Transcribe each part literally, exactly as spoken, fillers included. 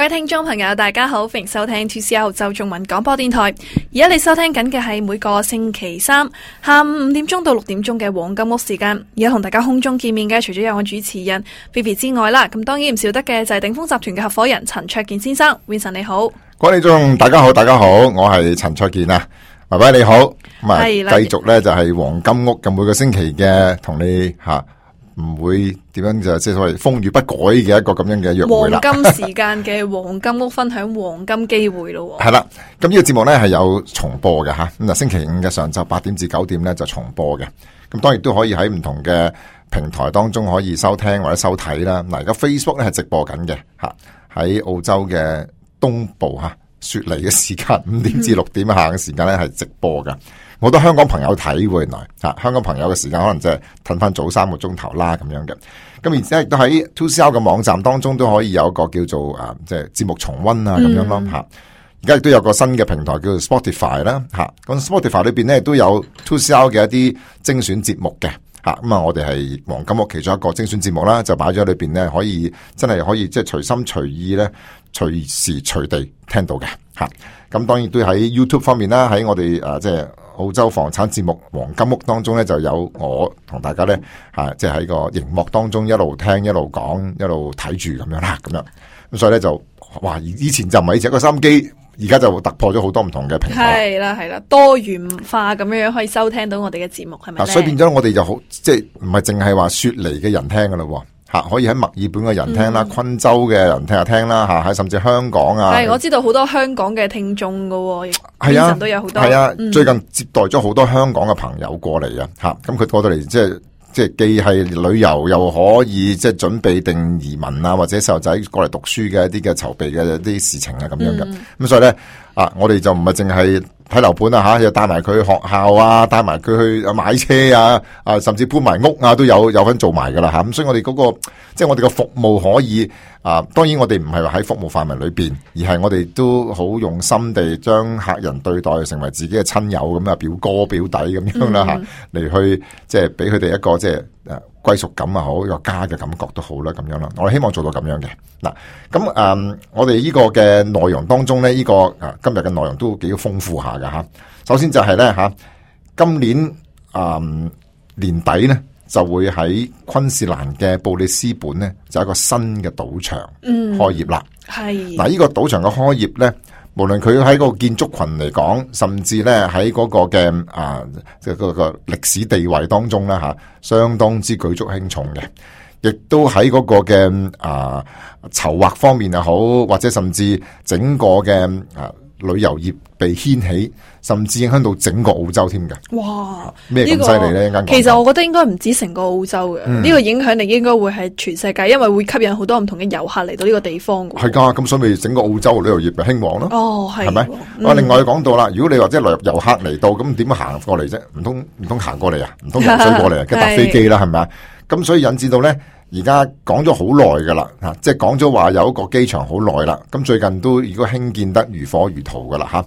位聽眾朋友大家好，歡迎收聽 two C R 澳洲中文廣播電台。而家你收聽緊嘅係每個星期三下午五點鐘到六點鐘嘅黃金屋時間。而家同大家空中見面嘅除咗有我主持人 Vivi 之外啦，咁當然唔少得嘅就係鼎豐集團嘅合夥人陳焯楗先生。Vincent 你好。各位聽眾大家好，大家好，我係陳焯楗啊，喂喂你好，咁啊繼續咧就係黃金屋咁每個星期嘅同你吓。唔會點樣就即係所謂風雨不改嘅一個咁樣嘅約會啦。黃金時間嘅黃金屋分享黃金機會咯。係啦，咁呢個節目咧係有重播嘅吓，咁啊星期五嘅上晝八點至九點咧就重播嘅。咁當然都可以喺唔同嘅平台當中可以收聽或者收睇啦。嗱，而家 Facebook 咧係直播緊嘅吓，喺澳洲嘅東部吓雪梨嘅時間五點至六點下嘅時間咧係直播噶。好多香港朋友睇喎，原來吓香港朋友嘅時間可能即係褪翻早三個鐘頭啦咁樣嘅。咁而且亦都喺 two C R 嘅網站當中都可以有一個叫做啊即係節目重溫啊咁樣咯吓。而家亦都有個新嘅平台叫做 Spotify 啦吓。咁 Spotify 裏邊咧都有 two C R 嘅一啲精選節目嘅吓。咁啊，我哋係黃金屋其中一個精選節目啦，就擺咗喺裏邊咧，可以真係可以即係隨心隨意咧，隨時隨地聽到嘅吓。咁當然都喺 YouTube 方面啦，喺我哋誒即係澳洲房產節目黃金屋當中咧，就有我同大家咧吓，即係喺個熒幕當中一路聽一路講一路睇住咁樣啦，咁樣咁所以咧就哇，以前就唔係只一個收音機，而家就突破咗好多唔同嘅平台。係啦係啦，多元化咁樣樣可以收聽到我哋嘅節目，係咪咧？所以變咗我哋就好，即係唔係淨係話雪梨嘅人聽噶啦。吓，可以喺墨爾本嘅人聽啦，嗯、昆州嘅人聽下聽啦，吓，喺甚至香港啊。係，我知道好多香港嘅聽眾噶，係啊，都有好多。係啊，嗯、最近接待咗好多香港嘅朋友過嚟啊，吓，咁佢過到嚟即係即係既係旅遊又可以即係準備定移民啊，或者細路仔過嚟讀書嘅一啲嘅籌備嘅一啲事情啊，咁樣嘅。咁、嗯、所以咧啊，我哋就唔係淨係睇樓盤啊吓，又帶埋佢去學校啊，帶埋佢去買車啊，啊甚至搬埋屋啊，都有有份做埋噶啦吓。咁所以我哋嗰、那個即係我哋嘅服務可以啊，當然我哋唔係話喺服務範圍裏邊，而係我哋都好用心地將客人對待成為自己嘅親友咁啊，表哥表弟咁樣啦吓，嚟、嗯、去即係俾佢哋一個即係誒歸屬感啊好，一個家嘅感覺都好啦咁樣啦。我哋希望做到咁樣嘅嗱，咁誒、嗯、我哋呢個嘅內容當中咧，呢、這個啊今日嘅內容都幾豐富下噶吓。首先就係咧吓，今年誒、嗯、年底咧，就會喺昆士蘭嘅布里斯本咧，就有一個新嘅賭場開業啦。係嗱、嗯，呢個賭場嘅開業咧，無論佢喺個建築群嚟講，甚至咧喺嗰個嘅啊，即係嗰個歷史地位當中咧吓，相當之舉足輕重嘅。亦都喺嗰個嘅啊籌劃方面又好，或者甚至整個嘅啊旅遊業被掀起，甚至影響到整個澳洲添嘅。哇！咩咁犀利咧？這個、其實我覺得應該唔止成個澳洲嘅，呢、嗯、個影響力應該會係全世界，因為會吸引好多唔同嘅遊客嚟到呢個地方。係噶，咁所以咪整個澳洲旅遊業咪興旺咯。哦，係，係咪？我、嗯、另外講到啦，如果你話即係旅遊客嚟到，咁點樣行過嚟啫？唔通唔通行過嚟啊？唔通游水過嚟啊？跟搭飛機啦，係咪啊？咁所以引致到咧。而家講咗好耐噶啦，吓，即係講咗話有一個機場好耐啦。咁最近都如果興建得如火如荼噶啦，吓，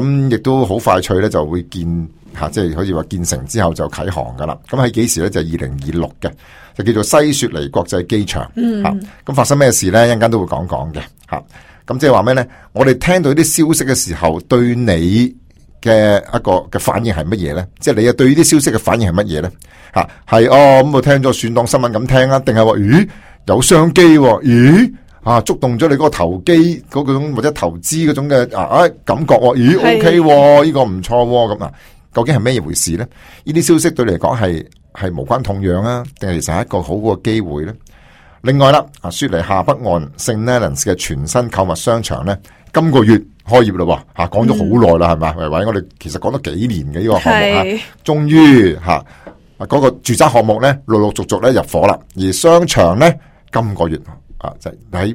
咁亦都好快脆咧就會建吓，即係好似話建成之後就啟航噶啦。咁喺幾時咧？就係二零二六嘅，就叫做西雪梨國際機場。嗯，吓，咁發生咩事咧？一陣間都會講講嘅，吓。咁即係話咩咧？我哋聽到啲消息嘅時候，對你嘅一個嘅反應係乜嘢咧？即係你啊對呢啲消息嘅反應係乜嘢咧？吓，係哦，咁我聽咗算當新聞咁聽啊，定係話咦有商機？咦啊觸動咗你嗰個投機嗰種或者投資嗰種嘅啊啊感覺？咦 OK 喎，呢個唔錯咁啊？究竟係咩回事咧？呢啲消息對你嚟講係係無關痛癢啊，定係其實係一個好嘅機會咧？另外啦，啊雪梨下北岸聖 Leonards 嘅全新購物商場咧，今個月開業啦，吓講咗好耐啦，係咪？維維，我哋其實講咗幾年嘅呢個項目吓，終於吓。嗰、那個住宅項目咧，陸陸續續咧入伙啦，而商場咧今個月啊，就喺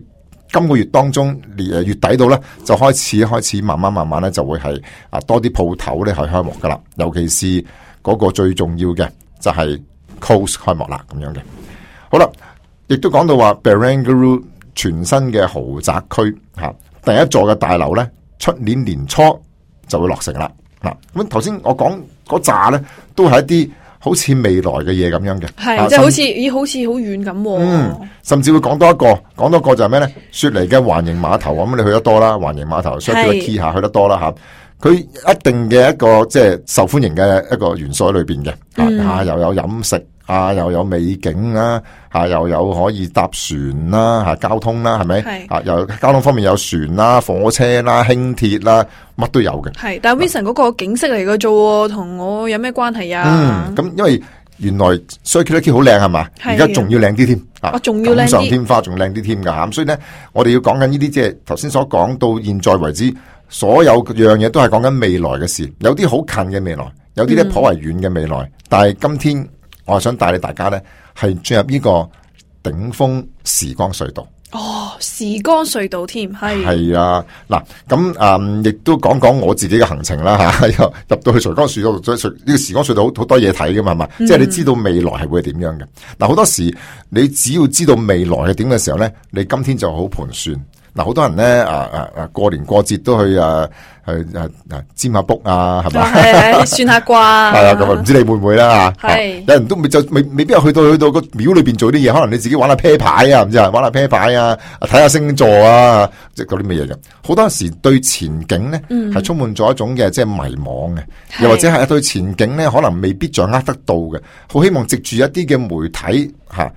今個月當中，誒月底到咧就開始開始慢慢慢慢咧就會係啊多啲鋪頭咧係開幕噶啦，尤其是嗰個最重要嘅就係 Coast 開幕啦咁樣嘅。好啦，亦都講到話 Barangaroo 全新嘅豪宅區吓，第一座嘅大樓咧出年年初就會落成啦。嗱，咁頭先我講嗰扎咧都係一啲好似未來嘅嘢咁樣嘅，係、啊、即係好似咦好似好遠咁，嗯，甚至會講多一個，講多一個就係咩咧？雪梨嘅環形碼頭，咁你去得多啦，環形碼頭 Circular Quay 下去得多啦吓，佢一定嘅一個即係受歡迎嘅一個元素喺裏邊嘅，嗯、啊又有飲食啊，又有美景啦，啊又有可以搭船啦，吓、啊、交通啦，係咪？啊又交通方面有船啦、火車啦、輕鐵啦，乜都有嘅。係，但係 Vincent 嗰個景色嚟嘅啫，同我有咩關係啊？嗯，咁因為原來 Circular Quay 好靚係嘛，而家仲要靚啲添，啊仲要靚啲，錦上添花仲靚啲添噶吓，咁所以咧，我哋要講緊呢啲即係頭先所講到現在為止，所有樣嘢都係講緊未來嘅事，有啲好近嘅未來，有啲咧頗為遠嘅未來，嗯、但係今天我係想帶你大家咧係進入呢個頂峰時光隧道。哦，時光隧道添，係係啊，嗱咁誒，亦都講講我自己嘅行程啦吓，又入到去時光隧道，呢個時光隧道好好多嘢睇噶嘛，係嘛，嗯、即係你知道未來係會係點樣嘅。嗱，好多時你只要知道未來係點嘅時候咧，你今天就好盤算。嗱，好多人咧，啊啊啊，過年過節都去啊，去啊啊占下卜啊，係咪？係算下卦。係啊，咁啊，唔知你會唔會啦吓？係，有人都未就未未必有去到去到個廟裏邊做啲嘢，可能你自己玩下啤牌啊，唔知啊，玩下啤牌啊，睇下星座啊，即係嗰啲乜嘢嘅。好多時對前景咧，係、嗯、充滿咗一種嘅即係迷惘嘅，又或者係對前景咧，可能未必掌握得到嘅。好希望藉住一啲嘅媒體吓。啊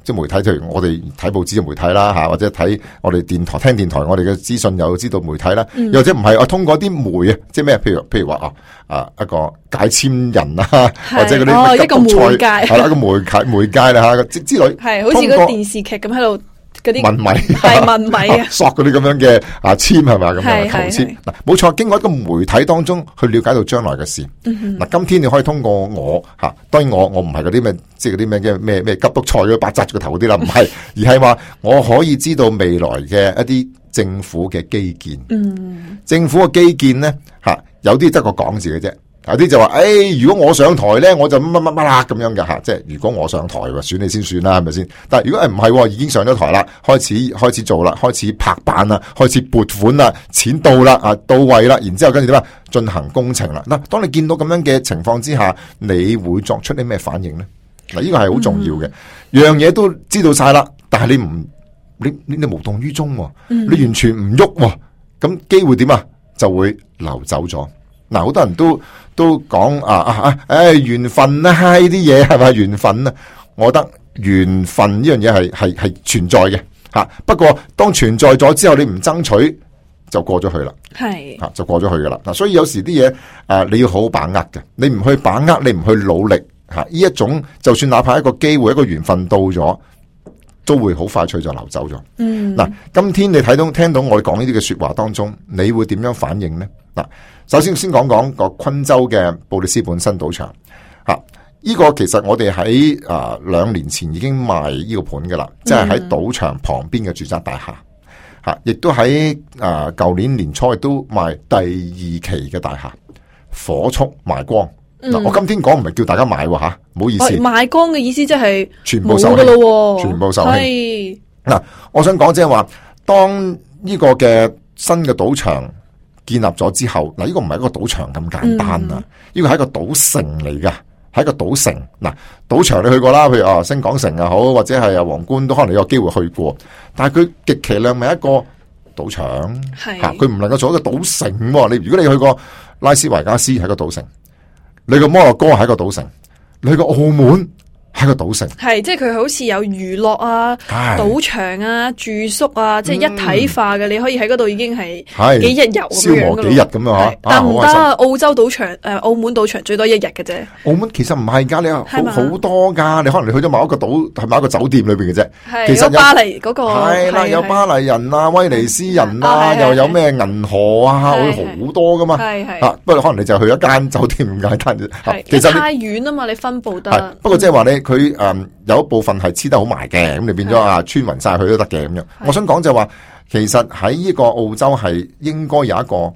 即係媒體，譬如我哋睇報紙嘅媒體啦，吓或者睇我哋電台聽電台，我哋嘅資訊又知道媒體啦，嗯、又或者唔係，我通過啲媒啊，即係咩？譬如譬如話啊啊一個解簽人啊，或者嗰啲、哦、一個媒介係啦，一個媒介媒介啦吓之之類，係好似個電視劇咁喺度。嗰啲問米係問米啊，索嗰啲咁樣嘅啊簽係咪咁樣求簽嗱，冇錯，經過一個媒體當中去了解到將來嘅事。嗱、嗯，今天你可以通過我吓，當然我我唔係嗰啲咩，即係嗰啲咩嘅咩咩急督菜嗰八扎住個頭嗰啲啦，唔係，而係話我可以知道未來嘅一啲政府嘅基建。嗯，政府嘅基建咧吓，有啲得個講字嘅啫。有啲就話，誒、哎，如果我上台咧，我就乜乜乜啦咁樣嘅吓，即係如果我上台，選你先算啦，係咪先？但係如果誒唔係，已經上咗台啦，開始開始做啦，開始拍板啦，開始撥款啦，錢到啦，啊到位啦，然之後跟住點啊，進行工程啦。嗱，當你見到咁樣嘅情況之下，你會作出啲咩反應咧？嗱，呢個係好重要嘅，嗯、樣嘢都知道晒啦，但係你唔，你你你無動於衷，嗯、你完全唔喐，咁機會點啊？就會流走咗。嗱，好多人都都講啊啊啊，誒，緣分啊，呢啲嘢係咪緣分啊？我覺得緣分呢樣嘢係係係存在嘅吓。不過當存在咗之後，你唔爭取就過咗去啦，係吓就過咗去噶啦。嗱，所以有時啲嘢啊，你要好好把握嘅。你唔去把握，你唔去努力吓，呢一種就算哪怕一個機會、一個緣分到咗，都會好快脆就流走咗。嗯，嗱，今天你睇到聽到我哋講呢啲嘅說話當中，你會點樣反應呢？嗱，首先先講講個昆州嘅布里斯本新賭場，吓、啊，呢、這個其實我哋喺啊兩年前已經賣呢個盤噶啦，即係喺賭場旁邊嘅住宅大廈，吓、啊，亦都喺啊舊年年初亦都賣第二期嘅大廈，火速賣光。嗱、嗯，我今天講唔係叫大家買吓，唔好意思。賣光嘅意思即係全部售罄，全部售罄。嗱、啊，我想講即係話，當呢個嘅新嘅賭場建立咗之後，嗱，呢個唔係一個賭場咁簡單啊，呢、嗯、個係一個賭城嚟噶，係一個賭城。嗱，賭場你去過啦，譬如啊星港城又好，或者係啊皇冠都可能你有機會去過，但係佢極其量咪一個賭場，吓，佢唔能夠做一個賭城。你如果你去過拉斯維加斯係個賭城。你個摩洛哥係一個賭城，你個澳門係個賭城，係即係佢好似有娛樂啊、賭場啊、住宿啊，即係一體化嘅、嗯。你可以喺嗰度已經係幾日遊咁樣嘅咯。消磨幾日咁啊？但唔得，澳洲賭場誒、呃，澳門賭場最多一日嘅啫。澳門其實唔係噶，你好好多噶。你可能你去咗某一個賭，係某一個酒店裏邊嘅啫。其實有巴黎嗰、那個係啦，有巴黎人啊、威尼斯人啊，啊又有咩銀河啊，會好多噶嘛。係係啊，不過可能你就去一間酒店咁簡單啫。其實太遠啊嘛，你分布得。不過即係話咧，佢誒、嗯、有一部分係黐得好埋嘅，咁你變咗啊穿勻晒去都得嘅咁樣。我想講就係話，其實喺呢個澳洲係應該有一個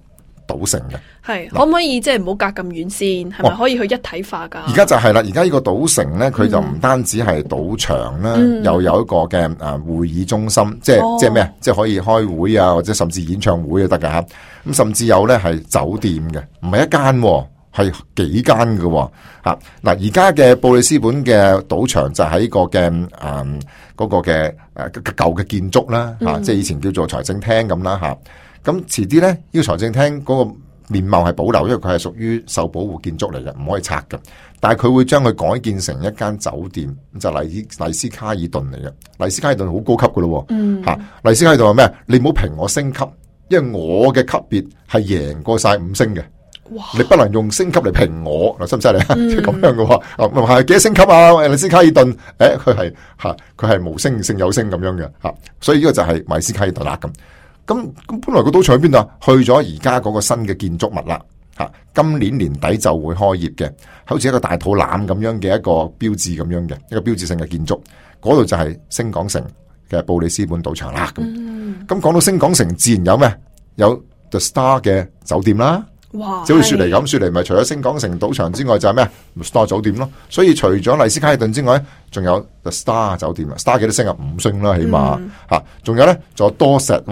賭城嘅。係可唔可以即係唔好隔咁遠先？係咪可以去一體化噶？而家就係啦，而家呢個賭城咧，佢就唔單止係賭場啦、嗯，又有一個嘅誒會議中心，即係、哦、即係咩啊？即係可以開會啊，或者甚至演唱會都得噶吓。咁甚至有咧係酒店嘅，唔係一間。係幾間嘅吓。嗱，而家嘅布里斯本嘅賭場就喺個嘅誒嗰個嘅誒舊嘅建築啦吓，即係以前叫做財政廳咁啦吓。咁遲啲咧，呢個財政廳嗰個面貌係保留，因為佢係屬於受保護建築嚟嘅，唔可以拆嘅。但係佢會將佢改建成一間酒店，就麗麗斯卡爾頓嚟嘅。麗斯卡爾頓好高級噶咯，吓、嗯、麗斯卡爾頓係咩？你唔好評我升級，因為我嘅級別係贏過晒五星嘅。哇！你不能用升級嚟評我，嗱，犀唔犀利啊？即係咁樣嘅話，係幾多星級啊？麗斯卡爾頓，誒、欸，佢係吓，佢係無星勝有星咁樣嘅吓，所以呢個就係麗斯卡爾頓啦咁。咁咁本來個賭場喺邊度啊？去咗而家嗰個新嘅建築物啦，吓，今年年底就會開業嘅，好似一個大肚腩咁樣嘅一個標誌咁樣嘅一個標誌性嘅建築，嗰度就係星港城嘅布里斯本賭場啦。咁咁講到星港城，自然有咩？有 The Star 嘅酒店啦。哇！就好似雪梨咁，雪梨咪除咗星港城賭場之外，就係咩 Star 酒店咯。所以除咗麗斯卡爾頓之外，仲有 The Star 酒店啊 ，Star 幾多星啊？五星啦，起碼吓。仲、嗯、有咧，仲有多石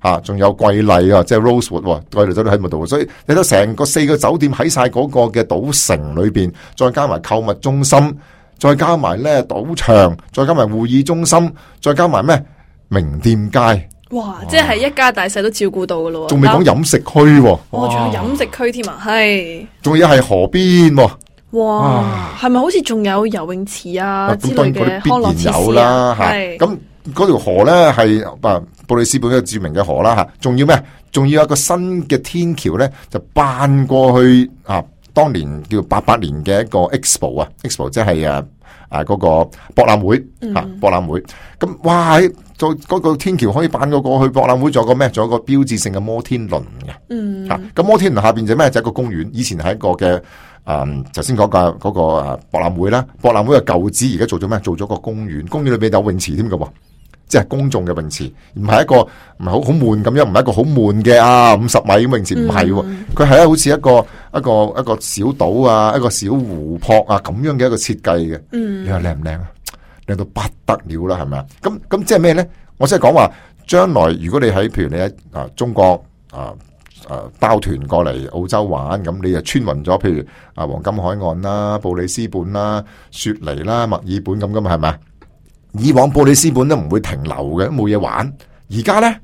吓，仲有桂麗啊，即係 Rosewood， 桂麗酒店喺度。所以你睇成個四個酒店喺晒嗰個嘅賭城裏邊，再加埋購物中心，再加埋咧賭場，再加埋會議中心，再加埋咩名店街。哇！即係一家大細都照顧到噶咯，仲未講飲食區，哇！仲有飲食區添啊，係，仲要係河邊，哇！係咪好似仲有游泳池啊之類嘅康樂設施啊？係咁嗰條河咧係啊布里斯本一個著名嘅河啦吓，仲要咩？仲要有一個新嘅天橋咧，就搬過去啊！當年叫八八年嘅一個 Expo 啊 ，Expo 即係啊啊嗰個博覽會啊，博覽會咁哇！做嗰個天橋可以搬過過去博覽會，仲有個咩？仲有個標誌性嘅摩天輪嘅。嗯，吓咁摩天輪下邊就咩？就一個公園。以前係一個嘅誒，頭先講嘅嗰個誒博覽會啦。博覽會嘅舊址而家做咗咩？做咗個公園。公園裏邊有泳池添嘅，即係公眾嘅泳池，唔係一個唔係好好悶咁樣，唔係一個好悶嘅啊五十米泳池，唔係。佢係咧好似一個一個一個小島啊，一個小湖泊啊咁樣嘅一個設計嘅。嗯，你話靚唔靚啊？靚到不得了啦，係咪啊？咁咁即係咩咧？我即係講話，將來如果你喺譬如你喺啊中國啊啊包團過嚟澳洲玩，咁你就穿勻咗，譬如啊黃金海岸啦、布里斯本啦、雪梨啦、墨爾本咁噶嘛，係咪啊？以往布里斯本都唔會停留嘅，冇嘢玩。而家咧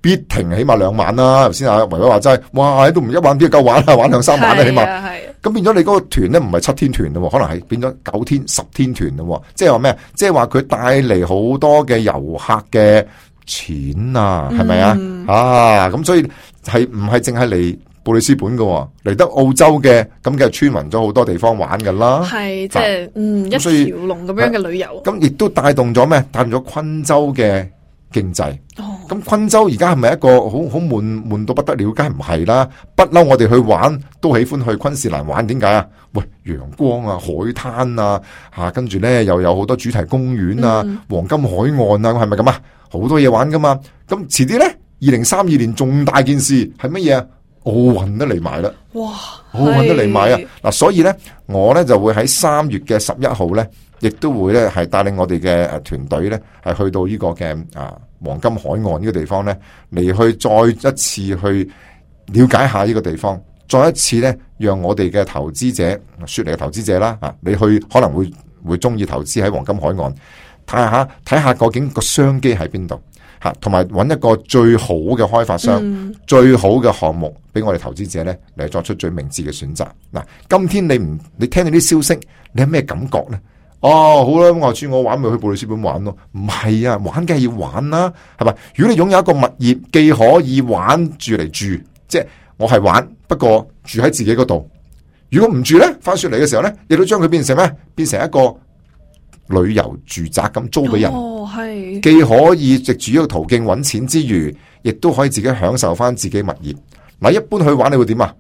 必停，起碼兩晚啦。頭先阿維維話齋，哇，都唔一晚邊夠玩啦，玩兩三晚啦，起碼。咁變咗你嗰個團咧，唔係七天團咯，可能係變咗九天、十天團咯。即係話咩？即係話佢帶嚟好多嘅遊客嘅錢啊，係咪、嗯、啊？啊，咁所以係唔係淨係嚟布里斯本嘅，嚟得澳洲嘅咁嘅穿勻咗好多地方玩噶啦。係即係嗯一條龍咁樣嘅旅遊。咁亦都帶動咗咩？帶動咗昆州嘅經濟。咁昆州而家係咪一個好好悶悶到不得了？梗係唔係啦，不嬲我哋去玩都喜歡去昆士蘭玩，點解啊？喂，陽光啊，海灘啊，吓跟住咧又有好多主題公園啊、嗯、黃金海岸啊，係咪咁啊？好多嘢玩噶嘛。咁遲啲咧，二零三二年重大件事係乜嘢啊？奧運都嚟埋啦！哇，奧運都嚟埋啊！嗱，所以咧，我咧就會喺三月嘅十一號咧，亦都會咧係帶領我哋嘅誒團隊咧，係去到呢個嘅啊黃金海岸呢個地方咧，嚟去再一次去了解下呢個地方，再一次咧讓我哋嘅投資者，雪梨嘅投資者啦啊，你去可能會會中意投資喺黃金海岸，睇下睇下究竟個商機喺邊度。同埋揾一個最好嘅開發商，嗯、最好嘅項目俾我哋投資者咧嚟作出最明智嘅選擇。嗱，今天你唔你聽到啲消息，你有咩感覺咧？哦，好啦，我話知我玩咪去布里斯本玩咯。唔係啊，玩梗係要玩啦，係咪？如果你擁有一個物業，既可以玩住嚟住，即係我係玩，不過住喺自己嗰度。如果唔住咧，翻雪嚟嘅時候咧，亦都將佢變成咩？變成一個旅遊住宅咁租俾人。哦，係既可以藉住呢個途徑揾錢之餘，亦都可以自己享受翻自己物業。嗱，一般去玩你會點啊？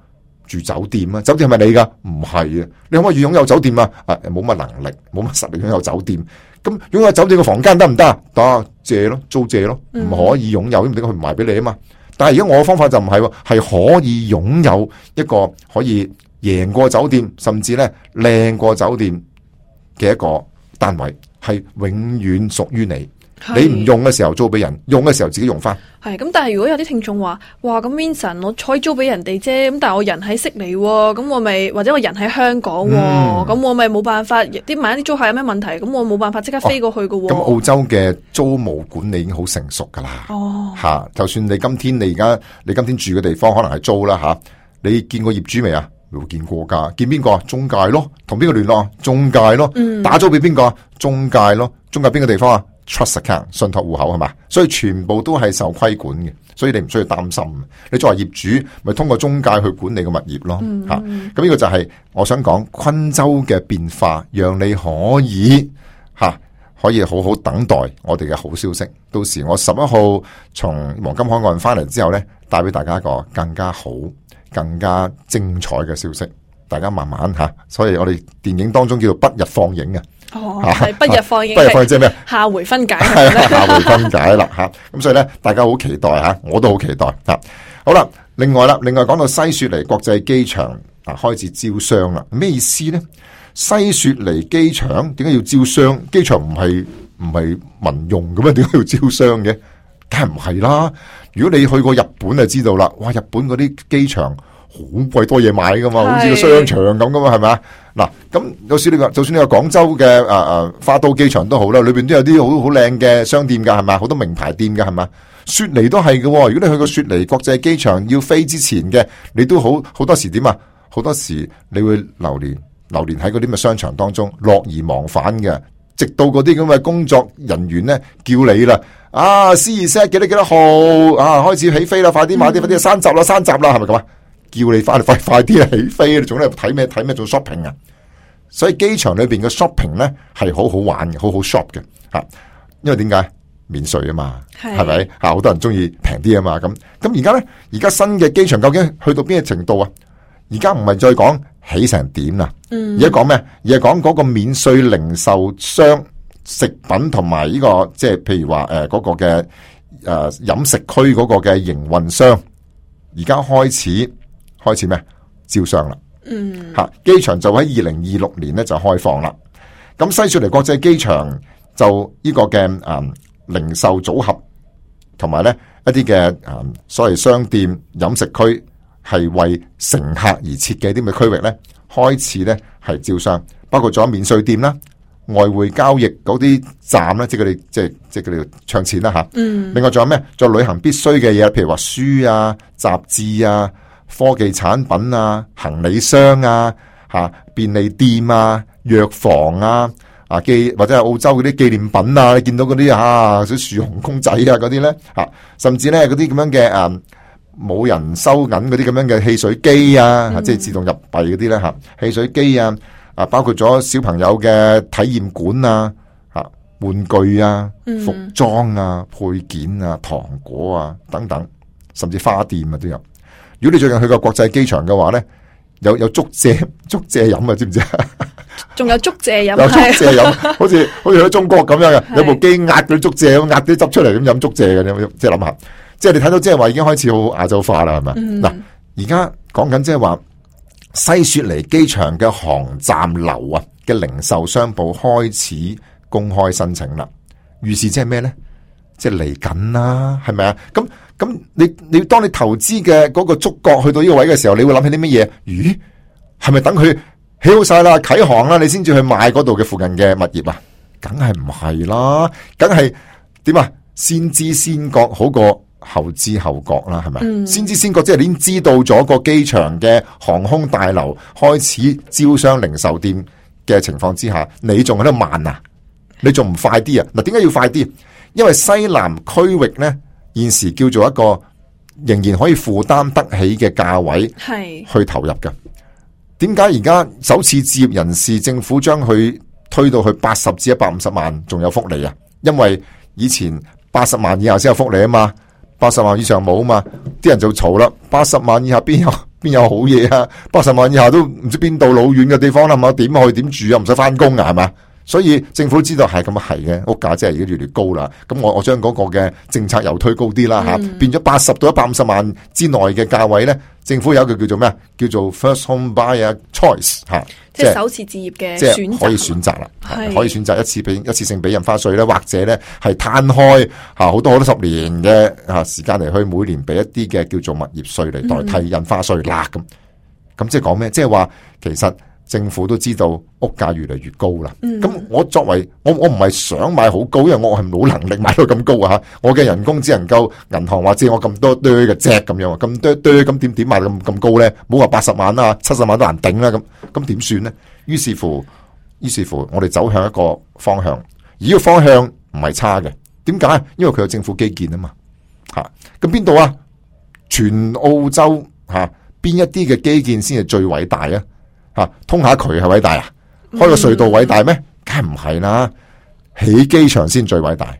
住酒店啊？酒店係咪你噶？唔係啊！你可唔可以擁有酒店啊？啊，冇乜能力，冇乜實力擁有酒店。咁擁有酒店嘅房間得唔得？得，借咯，租借咯，唔可以擁有，因為點解佢唔賣俾你啊嘛？但係而家我嘅方法就唔係喎，係可以擁有一個可以贏過酒店，甚至咧靚過酒店嘅一個單位，係永遠屬於你。你唔用嘅時候租俾人，用嘅時候自己用翻。係咁，但係如果有啲聽眾話，哇咁 Vincent 我可以租俾人哋啫，咁但係我人喺悉尼，咁我咪或者我人喺香港，咁、嗯、我咪冇辦法，啲萬一啲租客有咩問題，咁我冇辦法即刻飛過去㗎。咁、哦、澳洲嘅租務管理已經好成熟噶啦。哦，吓、啊，就算你今天你而家你今天住嘅地方可能係租啦吓、啊，你見過業主未啊？冇見過噶，見邊個啊？中介咯，同邊個聯絡啊？中介咯，嗯、打租俾邊個啊？中介咯，中介邊個地方啊？Trust account 信託戶口係嘛，所以全部都係受規管嘅，所以你唔需要擔心。你作為業主，咪通過中介去管理個物業咯，吓、嗯。咁、啊、呢個就係我想講昆州嘅變化，讓你可以吓、啊、可以好好等待我哋嘅好消息。到時我十一號從黃金海岸翻嚟之後呢，帶俾大家一個更加好、更加精彩嘅消息。大家慢慢吓、啊，所以我哋電影當中叫做不日放映嘅。哦，係不日放映，不日放映即係咩？下回分解係下回分解啦吓，咁所以咧，大家好期待吓，我都好期待吓。好啦，另外啦，另外講到西雪梨國際機場啊，開始招商啦，咩意思咧？西雪梨機場點解要招商？機場唔係唔係民用嘅咩？點解要招商嘅？梗係唔係啦！如果你去過日本就知道啦，哇！日本嗰啲機場好鬼多嘢買噶嘛，好似個商場咁噶嘛，係咪啊？嗱，咁有時你話，就算你話廣州嘅誒誒花都機場都好啦，裏邊都有啲好好靚嘅商店噶，係咪？好多名牌店噶，係咪？雪梨都係嘅。如果你去過雪梨國際機場要飛之前嘅，你都好好多時點啊？好多時你會流連流連喺嗰啲嘅商場當中，樂而忘返嘅，直到嗰啲咁嘅工作人員咧叫你啦，啊，C 二 set 幾多幾多號啊，開始起飛啦，快啲買啲，快啲山集啦，山集啦，係咪咁啊？叫你翻嚟快快啲起飛，你仲喺度睇咩睇咩做 shopping 啊？所以機場裏邊嘅 shopping 咧係好好玩嘅，好好 shop 嘅吓。因為點解免稅啊嘛，係咪吓？好多人中意平啲啊嘛。咁咁而家咧，而家新嘅機場究竟去到邊個程度啊？而家唔係再講起成點啦，而家講咩？而係講嗰個免稅零售商、食品同埋呢個即係譬如話誒嗰個嘅誒飲食區嗰個嘅營運商，而家開始。開始咩？招商啦，嗯，吓機場就喺二零二六年咧就開放啦。咁西雪梨國際機場就呢個嘅誒、嗯、零售組合，同埋咧一啲嘅誒所謂商店飲食區，係為乘客而設嘅啲咁嘅區域咧，開始咧係招商，包括咗免稅店啦、外匯交易嗰啲站咧，即係佢哋即係即係佢哋唱錢啦吓。嗯，另外仲有咩？仲有旅行必須嘅嘢，譬如話書啊、雜誌啊。科技產品啊、行李箱啊、吓便利店啊、藥房啊、啊記或者係澳洲嗰啲紀念品啊，你見到嗰啲啊，啲樹熊公仔啊嗰啲咧吓，甚至咧嗰啲咁樣嘅誒冇人收銀嗰啲咁樣嘅汽水機啊，嗯、即係自動入幣嗰啲咧吓，汽水機啊，啊包括咗小朋友嘅體驗館啊、吓玩具啊、服裝啊、配件啊、糖果啊等等，甚至花店啊都有。如果你最近去過國際機場嘅話咧，有有竹蔗竹蔗飲啊，知唔知啊？仲有竹蔗飲，有竹蔗飲，好似好似喺中國咁樣嘅，有部機壓啲竹蔗，壓啲汁出嚟咁飲竹蔗嘅，即係諗下，即係你睇到即係話已經開始好亞洲化啦，係咪？嗱、嗯，而家講緊即係話西雪梨機場嘅航站樓啊嘅零售商鋪開始公開申請啦，預示即係咩咧？即係嚟緊啦，係咪啊？咁咁你你當你投資嘅嗰個觸角去到呢個位嘅時候，你會諗起啲乜嘢？咦，係咪等佢起好晒啦、啟航啦，你先至去買嗰度嘅附近嘅物業啊？梗係唔係啦，梗係點啊？先知先覺好過後知後覺啦，係咪？嗯、先知先覺即係你已經知道咗個機場嘅航空大樓開始招商零售店嘅情況之下，你仲喺度慢啊？你仲唔快啲啊？嗱，點解要快啲？因為西南區域咧，現時叫做一個仍然可以負擔得起嘅價位，係去投入嘅。點解而家首次置業人士政府將佢推到去八十至一百五十萬，仲有福利啊？因為以前八十萬以下先有福利啊嘛，八十萬以上冇啊嘛，啲人就嘈啦。八十萬以下邊有邊有好嘢啊？八十萬以下都唔知邊度老遠嘅地方啦，係嘛？點去點住啊？唔使翻工啊，係嘛？所以政府知道係咁係嘅，屋價真係已經越嚟越高啦。咁我我將嗰個嘅政策又推高啲啦吓，變咗八十到一百五十萬之內嘅價位咧，政府有一個叫做咩啊？叫做 First Home Buyer Choice 吓，即係首次置業嘅選擇，可以選擇啦，可以選擇一次俾一次性俾印花稅咧，或者咧係攤開吓好多好多十年嘅吓時間嚟去每年俾一啲嘅叫做物業稅嚟代替印花稅啦咁。咁即係講咩？即係話其實政府都知道屋價越嚟越高啦。咁、嗯、我作為我我唔係想買好高，因為我係冇能力買到咁高啊！我嘅人工只能夠銀行話借我咁多堆嘅啫咁樣，咁多堆咁點點買咁咁高咧？冇話八十萬啊、七十萬都難頂啦咁，咁點算咧？於是乎，於是乎，我哋走向一個方向，而呢個方向唔係差嘅。點解？因為佢有政府基建啊嘛。吓，咁邊度啊？全澳洲吓。邊一啲嘅基建先係最偉大啊？吓，通下渠係偉大啊？開個隧道偉大咩？梗係唔係啦，起機場先最偉大。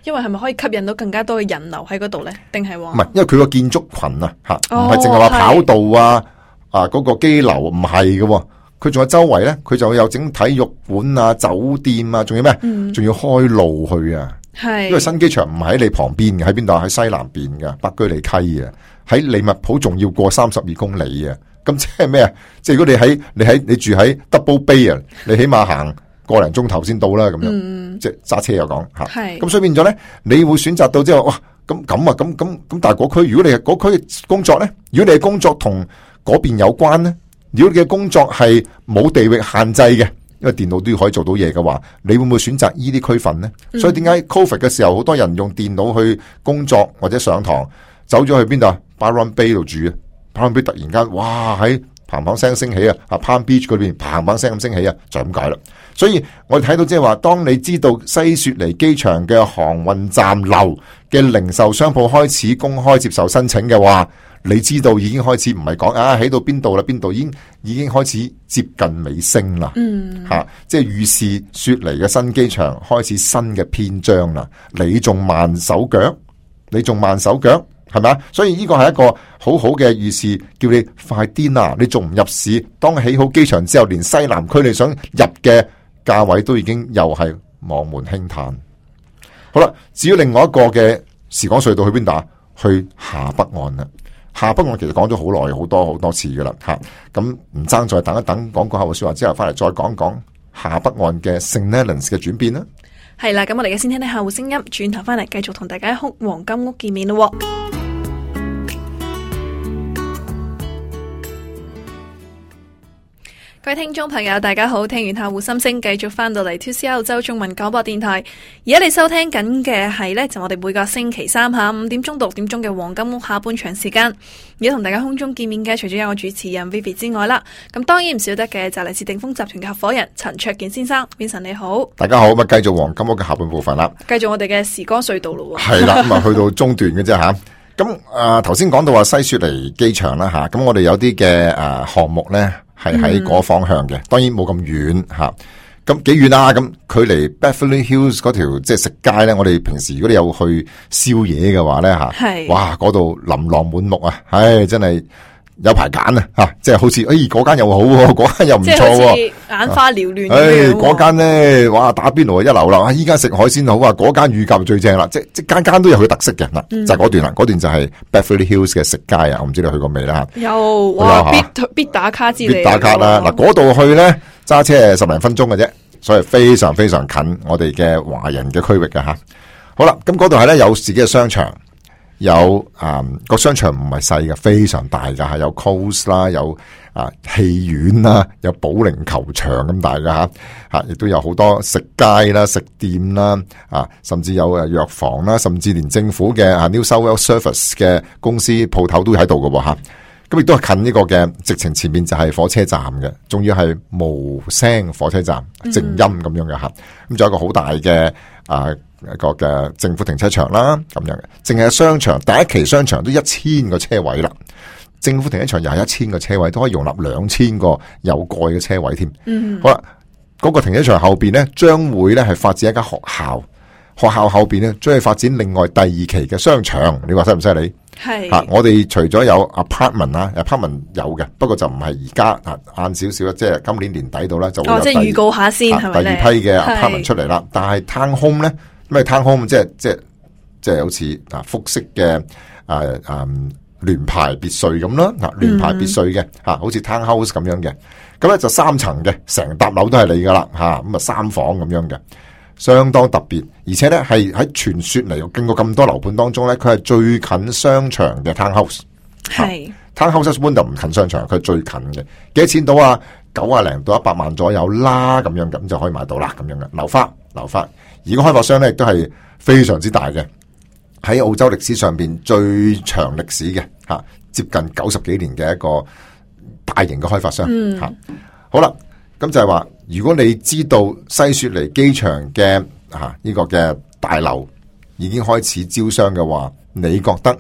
因為係咪可以吸引到更加多嘅人流喺嗰度咧？定係話唔係？因為佢個建築群啊，吓，唔係淨係話跑道啊，啊嗰個機樓唔係嘅，佢仲有周圍咧，佢就有整體育館啊、酒店啊，仲有咩？仲、嗯、要開路去啊。係，因為新機場唔係喺你旁邊嘅，喺邊度？喺西南邊嘅北居里溪啊，喺利物浦仲要過三十二公里啊！咁即係咩啊？即係如果你喺你喺你住喺 Double Bay 啊，你起碼行個零鐘頭先到啦，咁樣，嗯、即係揸車又講吓。係，咁所以變咗咧，你會選擇到之後，哇！咁咁啊，咁咁咁，但係嗰區，如果你係嗰區嘅工作咧，如果你嘅工作同嗰邊有關咧，如果你嘅工作係冇地域限制嘅。因為電腦都要可以做到嘢嘅話，你會唔會選擇呢啲區份呢？嗯、所以點解 Covid 嘅時候，好多人用電腦去工作或者上堂，走咗去邊度啊 Byron Bay 度住啊 Byron Bay 突然間，哇喺砰砰聲升起啊！啊 Palm Beach 嗰邊砰砰聲咁升起啊，就咁解啦。所以我哋睇到即係話，當你知道西雪梨機場嘅航運站樓嘅零售商鋪開始公開接受申請嘅話，你知道已經開始唔係講啊，起到邊度啦？邊度已經已經開始接近尾聲啦。嗯，吓、啊，即係預示雪梨嘅新機場開始新嘅篇章啦。你仲慢手腳，你仲慢手腳，係咪啊？所以呢個係一個好好嘅預示，叫你快啲啦！你仲唔入市？當起好機場之後，連西南區你想入嘅價位都已經又係望門輕嘆。好啦，至於另外一個嘅時光隧道去邊度啊？去下北岸啦。下北岸其實講咗好耐，好多好多次噶啦吓，咁唔爭再等一等，講個客戶說話之後，翻嚟再講講下北岸嘅 St Leonards 嘅轉變啦。係啦，咁我哋而家先聽聽客戶聲音，轉頭翻嚟繼續同大家喺黃金屋見面咯。各位聽眾朋友大家好，聽完客戶心聲，繼續翻到嚟 two C R 澳洲中文廣播電台。而家你收聽緊嘅係呢，就我哋每個星期三下午點鐘到六點鐘嘅黃金屋下半場時間。而家同大家空中見面嘅，除咗有我主持人 Vivi 之外啦，咁當然唔少得嘅就嚟自鼎豐集團嘅合夥人陳焯楗先生。Vincent 你好，大家好，咁啊繼續黃金屋嘅下半部分啦，繼續我哋嘅時光隧道咯。係啦，咁啊去到中段嘅啫吓。咁啊頭先講到話西雪梨機場啦吓，咁我哋有啲嘅誒項目咧。係喺嗰個方向嘅，當然冇咁遠吓，咁幾遠啊？咁距離 Beverly Hills 嗰條即係食街咧，我哋平時如果你有去宵夜嘅話咧吓，係哇嗰度琳琅滿目啊，唉真係有排揀啊吓，即係好似誒嗰間又好，嗰間又唔錯，眼花繚亂。誒嗰間咧，哇打邊爐一流啦，依間食海鮮好啊，嗰間乳鴿最正啦，即即間間都有佢特色嘅嗱、嗯，就係、是、嗰段啦，嗰段就係 Beverly Hills 嘅食街啊，我唔知你去過未啦吓。有哇，必必打卡之類。必打卡啦，嗱嗰度去咧揸車十零分鐘嘅啫，所以非常非常近我哋嘅華人嘅區域嘅吓。好啦，咁嗰度係咧有自己嘅商場。有啊個、嗯、商場唔係細嘅，非常大噶，係有 Coles 啦，有啊戲院啦，有保齡球場咁大噶吓吓，亦、啊、都有好多食街啦、食店啦，啊，甚至有誒藥房啦，甚至連政府嘅啊 New South Wales Service 嘅公司鋪頭都喺度嘅吓，咁亦都係近呢個嘅，直情前面就係火車站嘅，仲要係無聲火車站，靜音咁樣嘅吓，咁、嗯、仲有一個好大嘅啊。一個嘅政府停車場啦，咁樣嘅，淨係商場第一期商場都一千個車位啦，政府停車場又係一千個車位，都可以容納兩千個有蓋嘅車位添。嗯，好啦，嗰、那個停車場後邊咧，將會咧係發展一間學校，學校後邊咧將去發展另外第二期嘅商場，你話犀唔犀利？係啊！我哋除咗有 apartment 啊 ，apartment 有嘅，不過就唔係而家啊，晏少少即係今年年底到啦，就會有哦，即係預告下先係咪咧？第二批嘅 apartment 出嚟啦。但係 town home 咧，咩 town home 即係即係即係好似啊複式嘅啊啊聯排別墅咁啦，啊聯排別墅嘅吓，好似 town house 咁樣嘅，咁咧就三層嘅，成笪樓都係你噶啦吓，咁啊三房咁樣嘅。相當特別，而且咧係喺傳說嚟，經過咁多樓盤當中咧，佢係最近商場嘅 townhouse。係 townhouse 一般就唔近商場，佢係最近嘅。幾多錢到啊？九啊零到一百萬左右啦，咁樣咁就可以買到啦，咁樣嘅樓花樓花。而個開發商咧亦都係非常之大嘅，喺澳洲歷史上邊最長歷史嘅吓，接近九十幾年嘅一個大型嘅開發商吓。嗯、好啦。咁就係話，如果你知道西雪梨機場嘅啊呢個嘅大樓已經開始招商嘅話，你覺得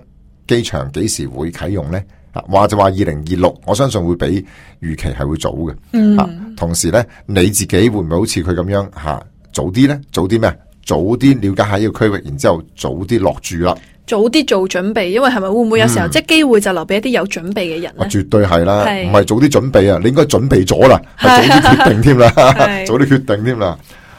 機場幾時會啟用呢？啊，話就話二零二六，我相信會比預期係會早嘅。嗯、啊，同時咧，你自己會唔會好似佢咁樣吓、啊、早啲咧？早啲咩？早啲了解下呢個區域，然之後早啲落住啦。早啲做準備，因為係咪會唔會有時候、嗯、即係機會就留俾一啲有準備嘅人咧？絕對係啦，唔係早啲準備啊，你應該準備咗啦，係早啲決定添啦，早啲決定添啦。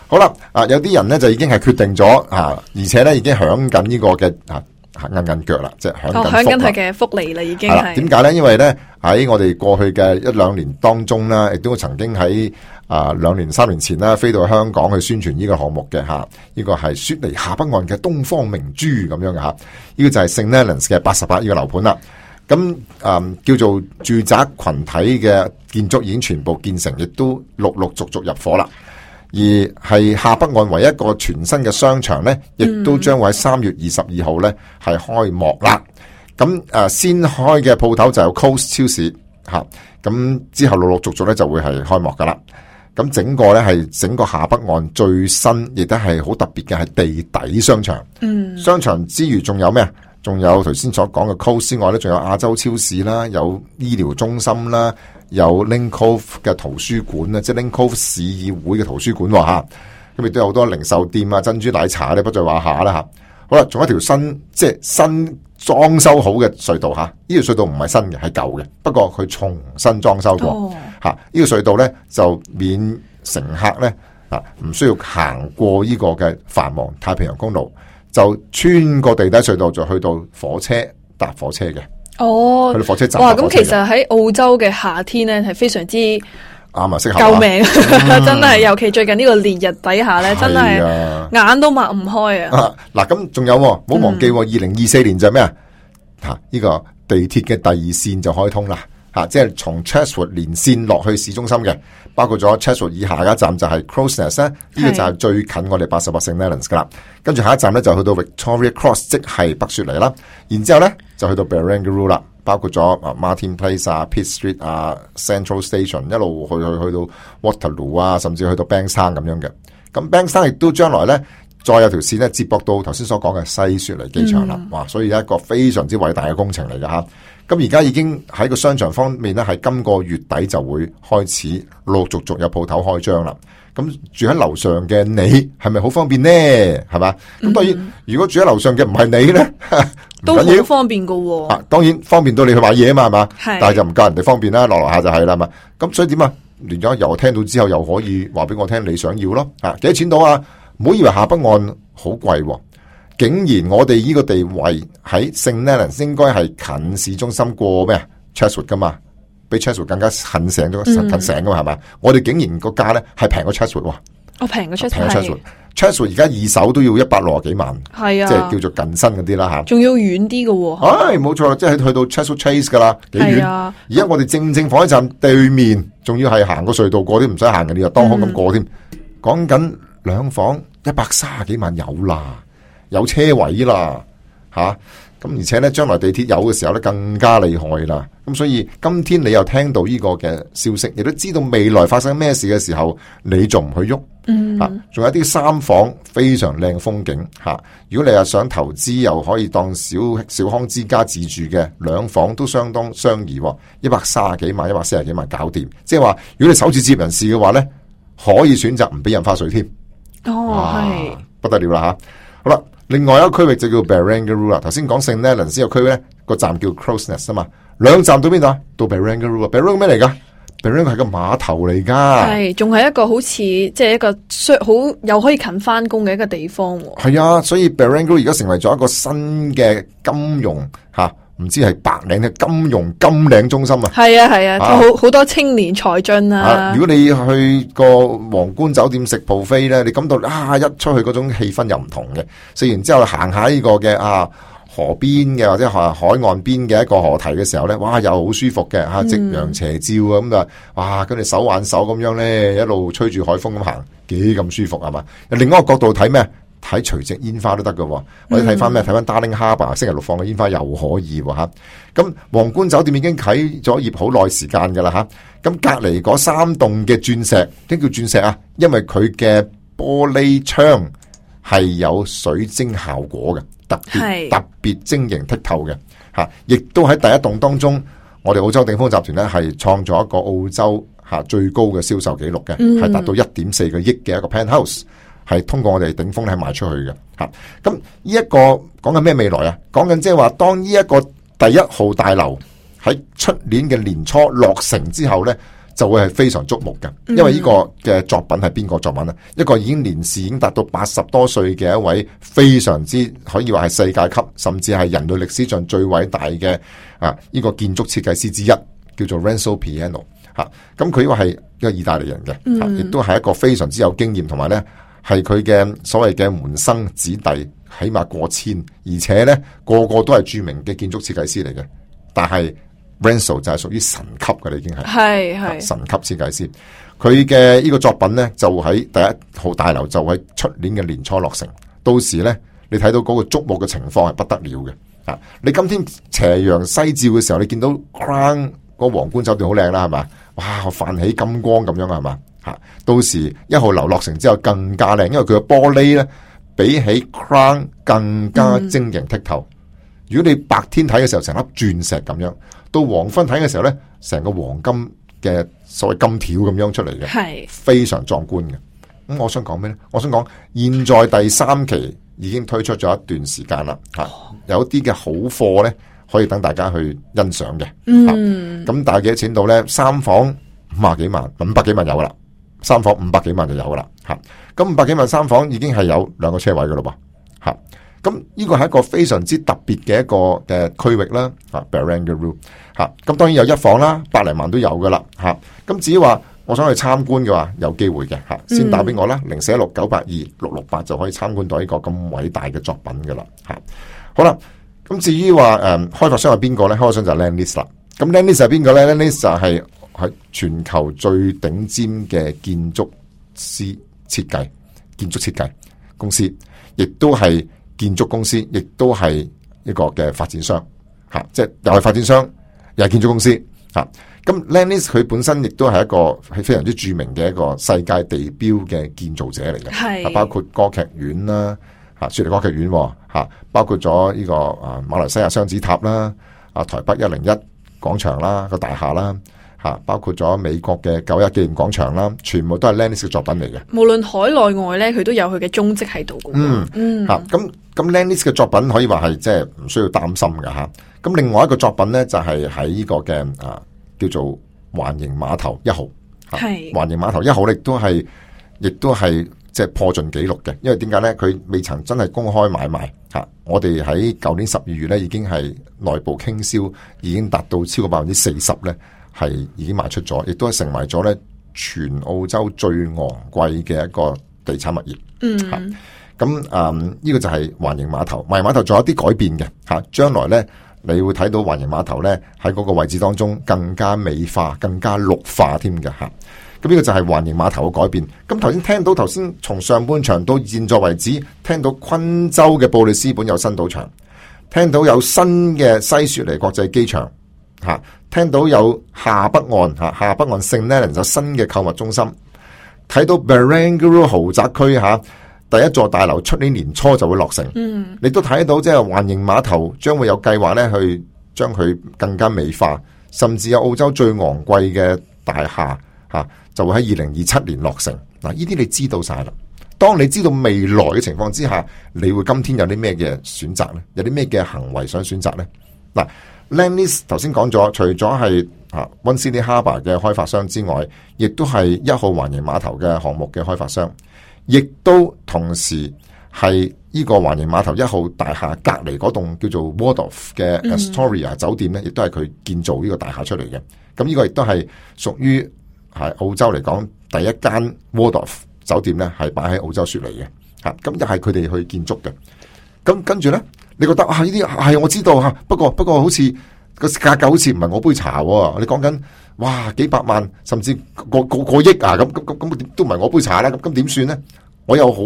好啦，啊有啲人咧就已經係決定咗啊，而且咧已經響緊呢個嘅啊硬硬腳啦，即係響緊。響緊佢嘅福利啦，已經係。點解咧？因為咧喺我哋過去嘅一兩年當中啦，亦都曾經喺啊兩年三年前啦，飛到香港去宣傳呢個項目嘅吓，呢、這個係雪梨下北岸嘅東方明珠咁樣嘅吓，呢、這個就係 Saint Leonards 嘅八十八呢個樓盤啦。咁啊、嗯、叫做住宅群體嘅建築已經全部建成，亦都陸陸續續入伙啦。而係下北岸唯一一個全新嘅商場咧，亦都將會喺三月二十二號咧係開幕啦。咁誒、呃、先開嘅鋪頭就有 Coast 超市吓，咁、啊、之後陸陸續續咧就會係開幕噶啦。咁整個咧係整個下北岸最新，亦都係好特別嘅係地底商場。嗯，商場之餘仲有咩啊？仲有頭先所講嘅 Coast 之外咧，仲有亞洲超市啦，有醫療中心啦。有 Link Cove 嘅圖書館啊，即係 Link Cove 市議會嘅圖書館吓，咁亦都有好多零售店啊、珍珠奶茶咧，不在話下啦吓。好啦，仲有一條新即係新裝修好嘅隧道吓，呢條隧道唔係新嘅，係舊嘅，不過佢重新裝修過吓。呢、哦、個隧道咧就免乘客咧啊，唔需要行過呢個嘅繁忙太平洋公路，就穿過地底隧道就去到火車搭火車嘅。哦，去到火車站。哇！咁其實喺澳洲嘅夏天咧，係非常之啱啊，適合救命，嗯、真係。尤其最近呢個烈日底下咧，真係眼都擘唔開啊！嗱，咁仲有，唔好忘記，二零二四年就係咩啊？吓，呢個地鐵嘅第二線就開通啦，吓，即係從 Chatswood 連線落去市中心嘅，包括咗 Chatswood 以下一站就係 Crows Nest 咧，呢個就係最近我哋八十八 Saint Leonards 噶啦。跟住下一站咧就去到 Victoria Cross， 即係北雪梨啦。然之後咧就去到 Barangaroo 啦，包括咗啊 Martin Place 啊、Pitt Street 啊、Central Station， 一路去去去到 Waterloo 啊，甚至去到 Bankstown 咁樣嘅。咁 Bankstown 亦都將來咧再有條線咧接駁到頭先所講嘅西雪梨機場啦。嗯、哇！所以一個非常之偉大嘅工程嚟㗎吓。咁而家已經喺個商場方面咧，係今個月底就會開始陸陸續續有鋪頭開張啦。咁住喺樓上嘅你係咪好方便呢？係嘛？咁當然，如果住喺樓上嘅唔係你咧，都好方便噶、哦。啊，當然方便到你去買嘢啊嘛，係嘛？係。但係就唔夠人哋方便啦，落樓下就係啦嘛。咁所以點啊？連咗又聽到之後，又可以話俾我聽你想要咯。啊，幾多錢到啊？唔好以為下北岸好貴、哦，竟然我哋呢個地位喺 Saint Leonards 應該係近市中心過咩 Chatswood 噶嘛？比 Chatswood 更加近醒咗，近醒噶嘛係嘛？我哋竟然個價咧係平過 Chatswood 喎。我平過 Chatswood，平過 Chatswood，Chatswood 而家二手都要一百六十幾萬，係啊，即係叫做近身嗰啲啦吓。仲要遠啲嘅，唉，冇錯啦，即係去到 Chatswood Chase 噶啦，幾遠。而家我哋正正火車站對面，仲要係行個隧道過啲，唔使行嘅，你又當空咁過添。講緊兩房一百三十幾萬有啦，有車位啦，吓、啊。咁而且咧，將來地鐵有嘅時候咧，更加厲害啦。咁所以今天你又聽到呢個嘅消息，亦都知道未來發生咩事嘅時候，你仲唔去喐？嗯，吓、啊，仲有啲三房非常靚風景吓、啊。如果你又想投資，又可以當小小康之家自住嘅，兩房都相當相宜，一百三十幾萬、一百四十幾萬搞掂。即係話，如果你首次置業人士嘅話咧，可以選擇唔俾印花稅添。哦，係不得了啦吓。好啦，另外一個區域就叫 Barangaroo 啦。頭先講聖 Leonards 個區咧，個站叫 Crows Nest 啊嘛，兩站到邊度啊？到 Barangaroo 啊 ，Barangaroo 咩嚟噶？Barangaroo 係個碼頭嚟噶，係仲係一個好似即係一個好又可以近翻工嘅一個地方。係啊，所以 Barangaroo 而家成為咗一個新嘅金融吓。啊唔知係白領嘅金融金領中心啊！係啊係啊，好好、啊、多青年才俊啊，啊！如果你去個皇冠酒店食 buffet 咧，你感到啊一出去嗰種氣氛又唔同嘅。食完之後行下呢個嘅啊河邊嘅或者海海岸邊嘅一個河堤嘅時候咧，哇又好舒服嘅吓，夕陽斜照啊咁啊，哇跟住手挽手咁樣咧，一路吹住海風咁行，幾咁舒服係嘛？另一個角度睇咩？睇垂直煙花都得㗎，或者睇翻咩？睇翻 Darling Harbour 星期六放嘅煙花又可以吓。咁皇冠酒店已經啟咗業好耐時間噶啦吓。咁隔籬嗰三棟嘅鑽石，點叫鑽石啊？因為佢嘅玻璃窗係有水晶效果嘅，特別特別晶瑩剔透嘅吓。亦都喺第一棟當中，我哋澳洲鼎豐集團咧係創咗一個澳洲吓最高嘅銷售紀錄嘅，係達到一點四個億嘅一個 penthouse。係通過我哋鼎豐咧賣出去嘅吓，咁呢一個講緊咩未來啊？講緊即係話當呢一個第一號大樓喺出年嘅年初落成之後咧，就會係非常矚目嘅。因為呢個嘅作品係邊個作品啊？一個已經年事已經達到八十多歲嘅一位非常之可以話係世界級，甚至係人類歷史上最偉大嘅啊呢個建築設計師之一，叫做 Renzo Piano 吓。咁佢呢個係一個意大利人嘅，亦都係一個非常之有經驗，同埋咧。係佢嘅所謂嘅門生子弟，起碼過千，而且咧個個都係著名嘅建築設計師嚟嘅。但係 Renzo 就係屬於神級嘅，已經係係係神級設計師。佢嘅呢個作品咧就喺第一號大樓，就喺出年嘅年初落成。到時咧，你睇到嗰個矚目嘅情況係不得了嘅。啊，你今天斜陽西照嘅時候，你見到 Crown 個皇冠酒店好靚啦，係嘛？哇，泛起金光咁樣係嘛？到時一號樓落成之後更加靚，因為佢嘅玻璃咧比起 Crown 更加晶瑩剔透。嗯、如果你白天睇嘅時候成粒鑽石咁樣，到黃昏睇嘅時候咧，成個黃金嘅所謂金條咁樣出嚟嘅，係非常壯觀嘅。咁我想講咩咧？我想講現在第三期已經推出咗一段時間啦，吓、哦、有啲嘅好貨咧可以等大家去欣賞嘅。嗯，咁大幾多錢到咧？三房五十幾萬，五百幾萬有噶啦。三房五百幾萬就有噶啦，吓，咁五百幾萬三房已經係有兩個車位噶咯噃，吓，咁呢個係一個非常之特別嘅一個嘅區域啦，啊 Barangaroo 吓，咁當然有一房啦，百零萬都有噶啦，吓，咁至於話我想去參觀嘅話，有機會嘅，吓，先打俾我啦，零四一六九八二六六八就可以參觀到呢個咁偉大嘅作品噶啦，吓，好啦，咁至於話誒開發商係邊個咧？開發商就係 Lendlease 啦，咁 Lendlease 係邊個咧 Lendlease 就係、是。係全球最頂尖嘅建築師設計、建築設計公司，亦都係建築公司，亦都係一個嘅發展商，吓，即係又係發展商，又係建築公司，吓。咁 Lendlease 佢本身亦都係一個係非常之著名嘅一個世界地標嘅建造者嚟嘅，係包括歌劇院啦，吓雪梨歌劇院，吓包括咗呢個啊馬來西亞雙子塔啦，啊台北一零一廣場啦個大廈啦。吓，包括咗美國嘅九一紀念廣場啦，全部都係 Lendlease 嘅作品嚟嘅。無論海內外咧，佢都有佢嘅蹤跡喺度嘅。嗯嗯，吓咁咁 Lendlease 嘅作品可以話係即係唔需要擔心嘅吓。咁另外一個作品咧就係喺呢個嘅啊叫做環形碼頭一號。係環形碼頭一號亦都係亦都係即係破盡紀錄嘅，因為點解咧？佢未曾真係公開買賣吓。我哋喺舊年十二月咧已經係內部傾銷，已經達到超過百分之四十咧。係已經賣出咗，亦都係成為咗咧全澳洲最昂貴嘅一個地產物業。嗯，咁誒呢個就係環形碼頭。環形碼頭仲有啲改變嘅吓，將來咧你會睇到環形碼頭咧喺嗰個位置當中更加美化、更加綠化添嘅吓。咁呢個就係環形碼頭嘅改變。咁頭先聽到頭先從上半場到現在為止，聽到昆州嘅布里斯本有新賭場，聽到有新嘅西雪梨國際機場。吓，聽到有下北岸吓，下北岸聖 Leonards有新嘅購物中心，睇到 Barangaroo 豪宅區吓，第一座大樓出年年初就會落成。嗯，你都睇到即係環形碼頭將會有計劃咧去將佢更加美化，甚至有澳洲最昂貴嘅大廈吓，就會喺二零二七年落成。嗱，呢啲你知道晒啦，當你知道未來嘅情況之下，你會今天有啲咩嘅選擇咧？有啲咩嘅行為想選擇咧？嗱 ，Lendlease 頭先講咗，除咗係啊 One Sydney Harbour 嘅開發商之外，亦都係一號環形碼頭嘅項目嘅開發商，亦都同時係呢個環形碼頭一號大廈隔離嗰棟叫做 Waldorf 嘅 Astoria 酒店咧，亦都係佢建造呢個大廈出嚟嘅。咁呢個亦都係屬於係澳洲嚟講第一間 Waldorf 酒店咧，係擺喺澳洲雪梨嘅嚇。咁又係佢哋去建築嘅。咁跟住咧，你覺得啊呢啲係我知道嚇，不過不過好似個價格好似唔係我杯茶喎。你講緊哇幾百萬甚至個個個億啊，咁咁咁咁都唔係我杯茶啦。咁咁點算咧？我又好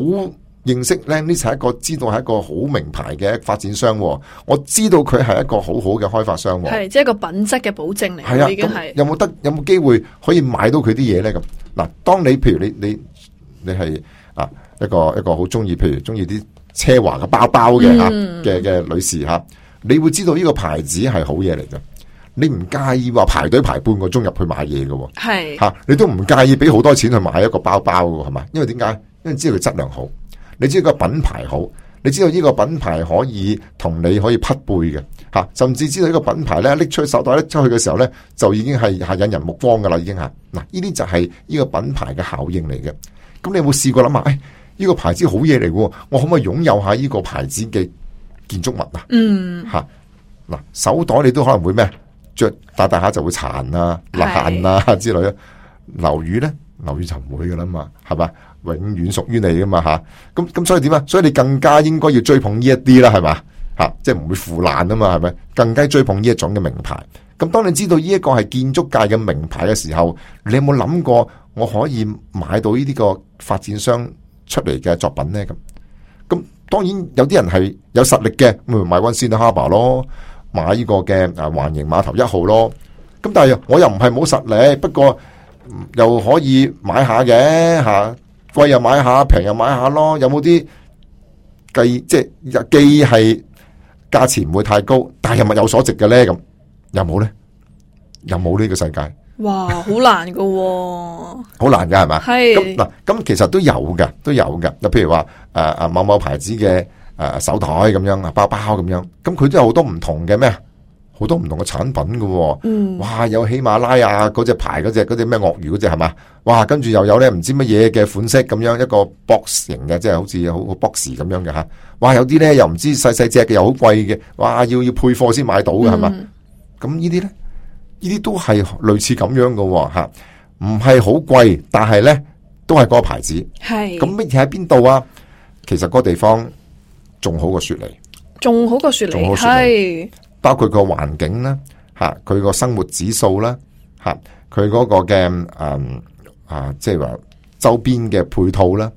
認識咧，呢係一個知道係一個好名牌嘅發展商，我知道佢係一個好好嘅開發商，係即係一個品質嘅保證嚟。係啊，已經係有冇得有冇機會可以買到佢啲嘢咧？咁嗱，當你譬如你你你係啊一個一個好中意，譬如中意啲奢華嘅包包嘅吓嘅嘅女士吓，你會知道呢個牌子係好嘢嚟嘅，你唔介意話排隊排半個鐘入去買嘢嘅，係吓、啊、你都唔介意俾好多錢去買一個包包嘅係嘛？因為點解？因為知道佢質量好。你知道個品牌好，你知道呢個品牌可以同你可以匹配嘅吓，甚至知道呢個品牌咧拎出去手袋拎出去嘅時候咧，就已經係係引人目光噶啦，已經吓嗱，呢啲就係呢個品牌嘅效應嚟嘅。咁你有冇試過諗下？誒、哎，呢個牌子好嘢嚟嘅，我可唔可以擁有下呢個牌子嘅建築物啊？嗯，吓嗱，手袋你都可能會咩？着大大下就會殘啊、爛啊之類啊。樓宇咧，樓宇就唔會噶啦嘛，係嘛？永遠屬於你噶嘛吓，咁咁所以點啊？所以你更加應該要追捧呢一啲啦，係嘛吓，即係唔會腐爛啊嘛，係咪？更加追捧呢一種嘅名牌。咁當你知道呢一個係建築界嘅名牌嘅時候，你有冇諗過我可以買到呢啲個發展商出嚟嘅作品咧？咁咁當然有啲人係有實力嘅，咪買 One Sydney Harbour 咯，買呢個嘅啊環形碼頭一號咯。咁但係我又唔係冇實力，不過又可以買下嘅吓。貴又買下，平又買下咯。有冇啲既即係既係價錢唔會太高，但係又物有所值嘅咧？咁有冇咧？有冇呢個世界？哇，好難噶、哦，好難噶係嘛？係咁嗱，咁其實都有嘅，都有嘅。就譬如話誒誒某某牌子嘅誒、呃、手袋咁樣啊，包包咁樣，咁佢都有好多唔同嘅咩？好多唔同嘅產品嘅、哦，嗯，哇，有喜馬拉雅嗰隻牌嗰隻嗰隻咩鱷魚嗰隻係嘛？哇，跟住又有咧唔知乜嘢嘅款式咁樣一個 box 型嘅，即係好似好好 box 咁樣嘅吓。哇，有啲咧又唔知細細隻嘅又好貴嘅，哇，要要配貨先買到嘅係嘛？咁、嗯、呢啲咧，呢啲都係類似咁樣嘅吓，唔係好貴，但係咧都係嗰個牌子。係咁乜嘢喺邊度啊？其實嗰個地方仲好過雪梨，仲好過雪梨，係。包括個環境啦，吓佢個生活指數啦，吓佢嗰個嘅誒、嗯、啊，即係話周邊嘅配套啦，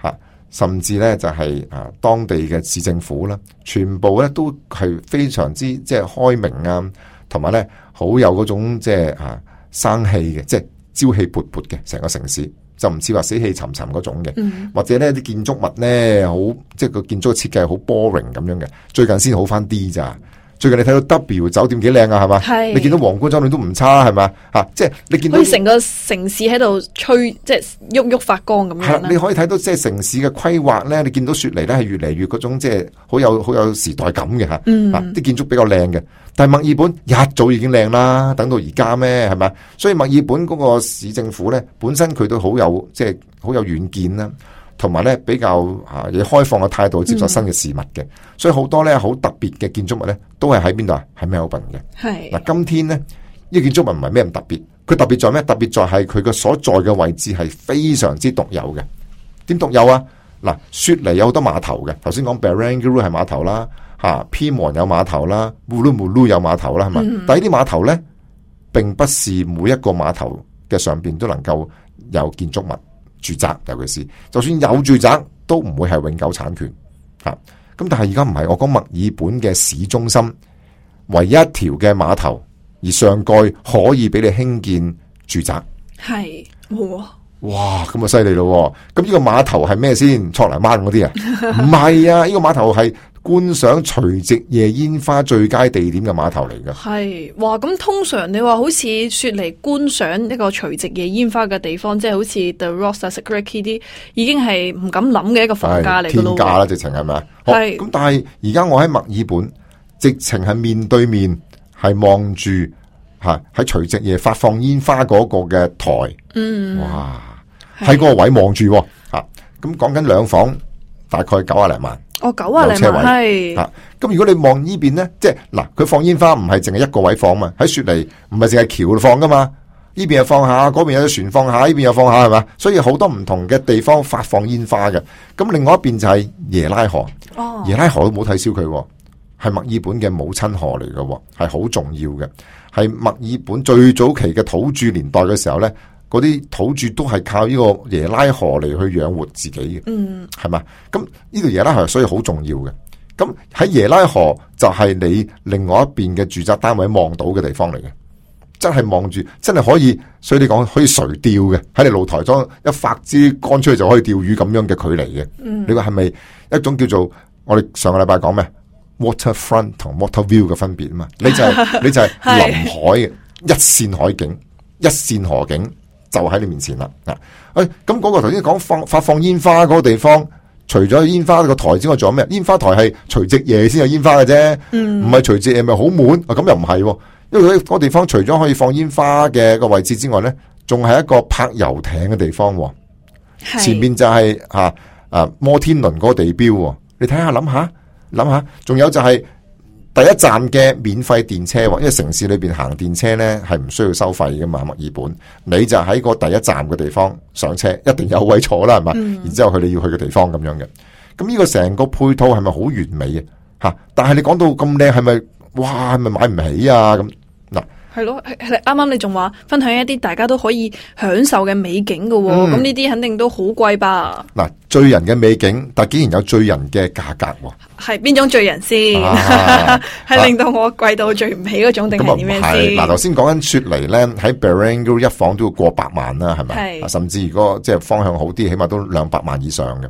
吓、啊、甚至咧就係、是、啊當地嘅市政府啦，全部咧都係非常之即係開明啊，同埋咧好有嗰種即係啊生氣嘅，即係朝氣勃勃嘅成個城市，就唔似話死氣沉沉嗰種嘅、嗯，或者咧啲建築物咧好即係個建築嘅設計好 boring 咁樣嘅，最近先好翻啲咋。最近你睇到 W 酒店幾靚啊，係嘛？係你見到皇冠酒店都唔差，係嘛？吓、啊，即係你見到好似成個城市喺度吹，即係喐喐發光咁樣。係你可以睇到即係城市嘅規劃咧，你見到雪梨咧係越嚟越嗰種即係好有好有時代感嘅吓。嗯，啲、啊、建築比較靚嘅，但係墨爾本一早已經靚啦，等到而家咩？係咪？所以墨爾本嗰個市政府咧，本身佢都好有即係好有遠見啦。同埋咧比較啊，以開放嘅態度接受新嘅事物嘅、嗯，所以好多咧好特別嘅建築物咧，都係喺邊度啊？喺 Melbourne 嘅。係嗱，今天咧呢、呢個建築物唔係咩咁特別，佢特別在咩？特別在係佢嘅所在嘅位置係非常之獨有嘅。點獨有啊？嗱，雪梨有好多碼頭嘅，頭先講 Barangaroo 係碼頭啦，吓 Pyrmont 有碼頭啦 Woolloomooloo 有碼頭啦，係嘛、嗯？但係呢啲碼頭咧，並不是每一個碼頭嘅上邊都能夠有建築物。住宅尤其是，就算有住宅都唔會係永久產權吓。咁但係而家唔係，我講墨爾本嘅市中心唯一一條嘅碼頭，而上蓋可以俾你興建住宅。係，哇哇，咁啊犀利咯！咁呢個碼頭係咩先？錯泥灣嗰啲啊？唔係啊，呢、這個碼頭係觀賞除夕夜煙花最佳地點嘅碼頭嚟㗎。係，哇！咁通常你話好似雪梨觀賞一個除夕夜煙花嘅地方，即係好似 The Rocks 啊、Sakura Key 啲，已經係唔敢諗嘅一個房價嚟㗎咯。天價啦，直情係咪啊？係。咁但係而家我喺墨爾本，直情係面對面係望住吓喺除夕夜發放煙花嗰個嘅台。嗯。哇！喺嗰個位望住，吓咁講緊兩房，大概九啊零萬。哦，九啊零萬係。吓咁如果你望呢邊咧，即係嗱，佢放煙花唔係淨係一個位放嘛，喺雪梨唔係淨係橋度放噶嘛，呢邊又放下，嗰邊有船放下，呢邊又放下係嘛，所以好多唔同嘅地方發放煙花嘅。咁另外一邊就係耶拉河，哦、耶拉河都冇睇小佢，係墨爾本嘅母親河嚟嘅，係好重要嘅，係墨爾本最早期嘅土著年代嘅時候咧。嗰啲土著都係靠呢個耶拉河嚟去養活自己嘅，嗯，係嘛？咁呢條耶拉河所以好重要嘅。咁喺耶拉河就係你另外一邊嘅住宅單位望到嘅地方嚟嘅，真係望住，真係可以。所以你講可以垂釣嘅，喺你露台裝一發支竿出去就可以釣魚咁樣嘅距離嘅。嗯，你話係咪一種叫做我哋上個禮拜講咩 waterfront 同 water view 嘅分別啊嘛？你就係、是、你就係臨海嘅一線海景，一線河景。就喺你面前啦，啊，誒，咁嗰個頭先講放發放煙花嗰個地方，除咗煙花個台之外，仲有咩？煙花台係除夕夜先有煙花嘅啫，唔係除夕夜咪好滿啊？咁又唔係，因為嗰個地方除咗可以放煙花嘅個位置之外咧，仲係一個泊遊艇嘅地方，前面就係吓啊摩天輪嗰個地標，你睇下諗下諗下，仲有就係、是。第一站嘅免費電車，因為城市裏邊行電車咧係唔需要收費噶嘛，墨爾本，你就喺個第一站嘅地方上車，一定有位坐啦，係嘛、嗯？然之後去你要去嘅地方咁樣嘅，咁呢個成個配套係咪好完美啊？吓，但係你講到咁靚，係咪哇？係咪買唔起啊？咁嗱。係咯，啱啱你仲話分享一啲大家都可以享受嘅美景噶，咁呢啲肯定都好貴吧？嗱，醉人嘅美景，但竟然有醉人嘅價格，係邊種醉人先？係、啊、令到我貴到醉唔起嗰種，定係點樣先？嗱，頭先講緊雪梨咧，喺 Barangaroo 一房都要過百萬啦，係咪？甚至如果即係方向好啲，起碼都兩百萬以上嘅，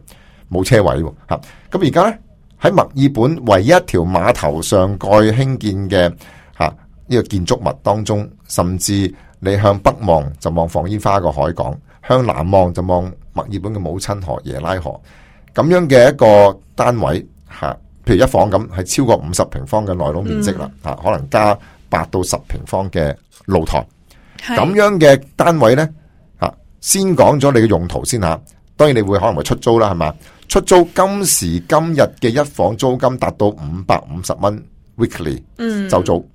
冇車位吓。咁而家咧喺墨爾本唯一一條碼頭上蓋興建嘅吓。呢個建築物當中，甚至你向北望就望放煙花個海港，向南望就望墨爾本嘅母親河耶拉河，咁樣嘅一個單位吓，譬如一房咁係超過五十平方嘅內籠面積啦，吓、嗯、可能加八到十平方嘅露台，咁樣嘅單位呢，吓，先講咗你嘅用途先吓，當然你會可能會出租啦，係嘛？出租今時今日嘅一房租金達到五百五十蚊 weekly， 嗯，就租。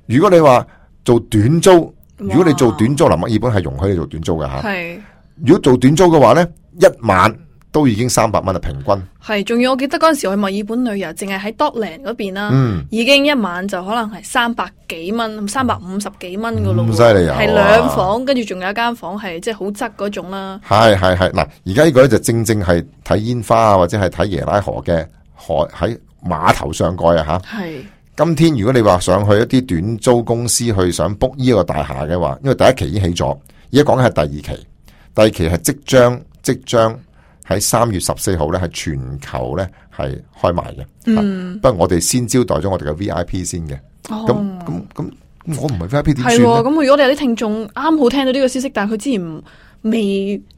如果你話做短租，如果你做短租，嗱，墨爾本係容許你做短租嘅吓。係，如果做短租嘅話咧，一晚都已經三百蚊啊，平均。係，仲要我記得嗰陣時我去墨爾本旅遊，淨係喺 Dockland 嗰邊啦，嗯，已經一晚就可能係三百幾蚊，三百五十幾蚊噶咯。咁犀利啊！係兩房，跟住仲有一間房係即係好側嗰種啦。係係係，嗱，而家呢個咧就正正係睇煙花啊，或者係睇耶拉河嘅海喺碼頭上蓋啊吓。係。今天如果你話上去一啲短租公司去想 book 呢個大廈嘅話，因為第一期已經起咗，而家講緊係第二期，第二期係即將即將喺三月十四號咧係全球咧係開賣嘅。嗯，不過我哋先招待咗我哋嘅 V I P 先嘅。哦，咁咁咁，我唔係 V I P 點算咧？係咁，如果你有啲聽眾啱好聽到呢個消息，但係佢之前唔未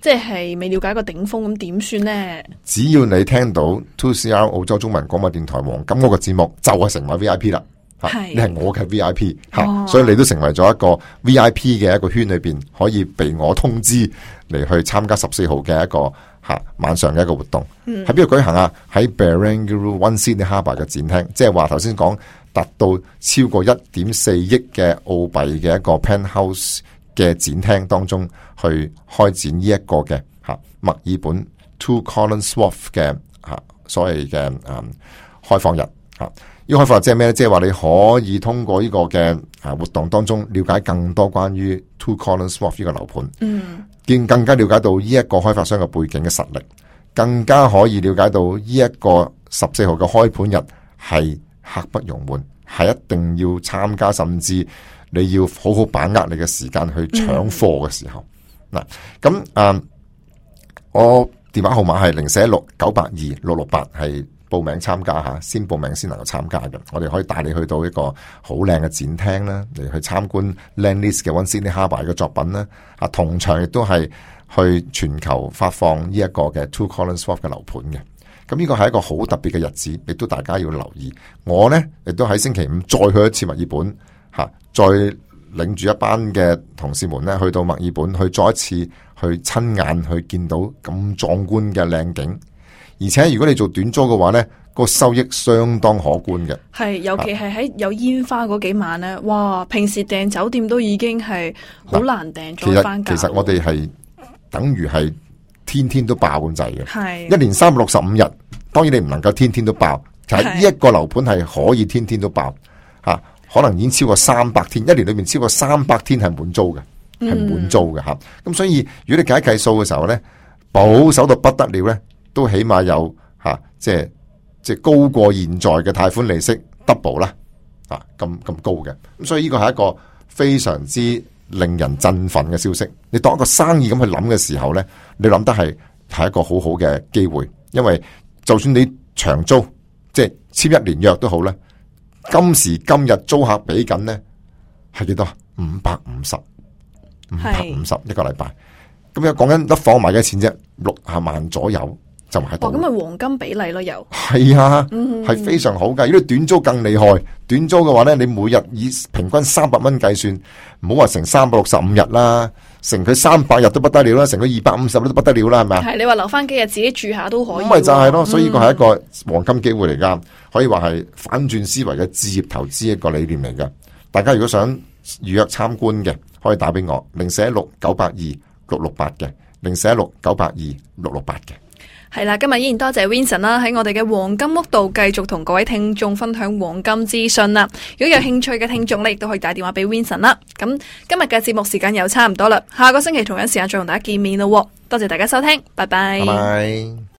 即係未了解個頂峰，咁點算呢？只要你聽到 two C R 澳洲中文廣播電台黃金嗰個節目，就係成為 V I P 啦。係，你係我嘅 V I P 吓，哦，所以你都成為咗一個 V I P 嘅一個圈裏邊，可以被我通知嚟去參加十四號嘅一個吓晚上嘅一個活動。喺邊度舉行啊？喺 Barangaroo One Sydney Harbour 嘅展廳，即係話頭先講達到超過一點四億嘅澳幣嘅一個 penthouse 嘅展廳當中去開展呢一個嘅吓墨爾本 Two Collins Wharf 嘅吓所謂嘅誒開放日吓。呢個開放日即係咩咧？即係話你可以通過呢個嘅啊活動當中了解更多關於 Two Collins Wharf 呢個樓盤，嗯，見更加了解到呢一個開發商嘅背景嘅實力，更加可以了解到呢一個十四號嘅開盤日係刻不容緩，係一定要參加，甚至你要好好把握你嘅時間去搶貨嘅時候。嗱，咁啊，我電話號碼係零四一六九八二六六八，係報名參加吓，先報名先能夠參加嘅。我哋可以帶你去到一個好靚嘅展廳啦，嚟去參觀 Lendlease 嘅 One Sydney Harbour 嘅作品啦。啊，同場亦都係去全球發放呢一個嘅 Two Collins Wharf 嘅樓盤嘅。咁呢個係一個好特別嘅日子，亦都大家要留意。我呢亦都喺星期五再去一次墨爾本吓，再領住一班嘅同事們呢去到墨爾本，去再一次去親眼去見到咁壯觀嘅靚景。而且如果你做短租嘅話呢，個收益相當可觀嘅。係，尤其係喺有煙花嗰幾晚呢，哇！平時訂酒店都已經係好難訂，再翻價。其實我哋係等於係天天都爆咁滯嘅。係一年三百六十五日，當然你唔能夠天天都爆，就係呢一個樓盤係可以天天都爆吓，可能已經超過三百天，一年裏面超過三百天係滿租嘅，係滿租嘅吓。咁、嗯、所以如果你計一計數嘅時候咧，保守到不得了咧，都起碼有吓、啊，即係即係高過現在嘅貸款利息 double 啦，啊咁咁高嘅。咁所以呢個係一個非常之令人振奮嘅消息。你當一個生意咁去諗嘅時候咧，你諗得係係一個好好嘅機會，因為就算你長租，即係簽一年約都好咧，今時今日租客俾緊咧係幾多？五百五十，五百五十一個禮拜。咁又講緊一放埋嘅錢啫，六十萬左右就喺度。咁咪黃金比例咯，又係啊，係、嗯、非常好噶。如果你短租更厲害，短租嘅話咧，你每日以平均三百蚊計算，唔好話成三百六十五日啦，成佢三百日都不得了啦，成佢二百五十日都不得了啦，係咪啊？係，你話留翻幾日自己住下都可以。咁咪就係咯，所以呢個係一個黃金機會嚟噶，可以話係反轉思維嘅置業投資一個理念嚟噶。大家如果想預約參觀嘅，可以打俾我零四一六九八二六六八嘅，零四一六九八二六六八嘅。係啦，今日依然多謝 Vincent 啦，喺我哋嘅黃金屋度繼續同各位聽眾分享黃金資訊啦。如果有興趣嘅聽眾咧，亦都可以打電話俾 Vincent 啦。咁今日嘅節目時間又差唔多啦，下個星期同樣時間再同大家見面咯。多謝大家收聽，拜拜。拜拜。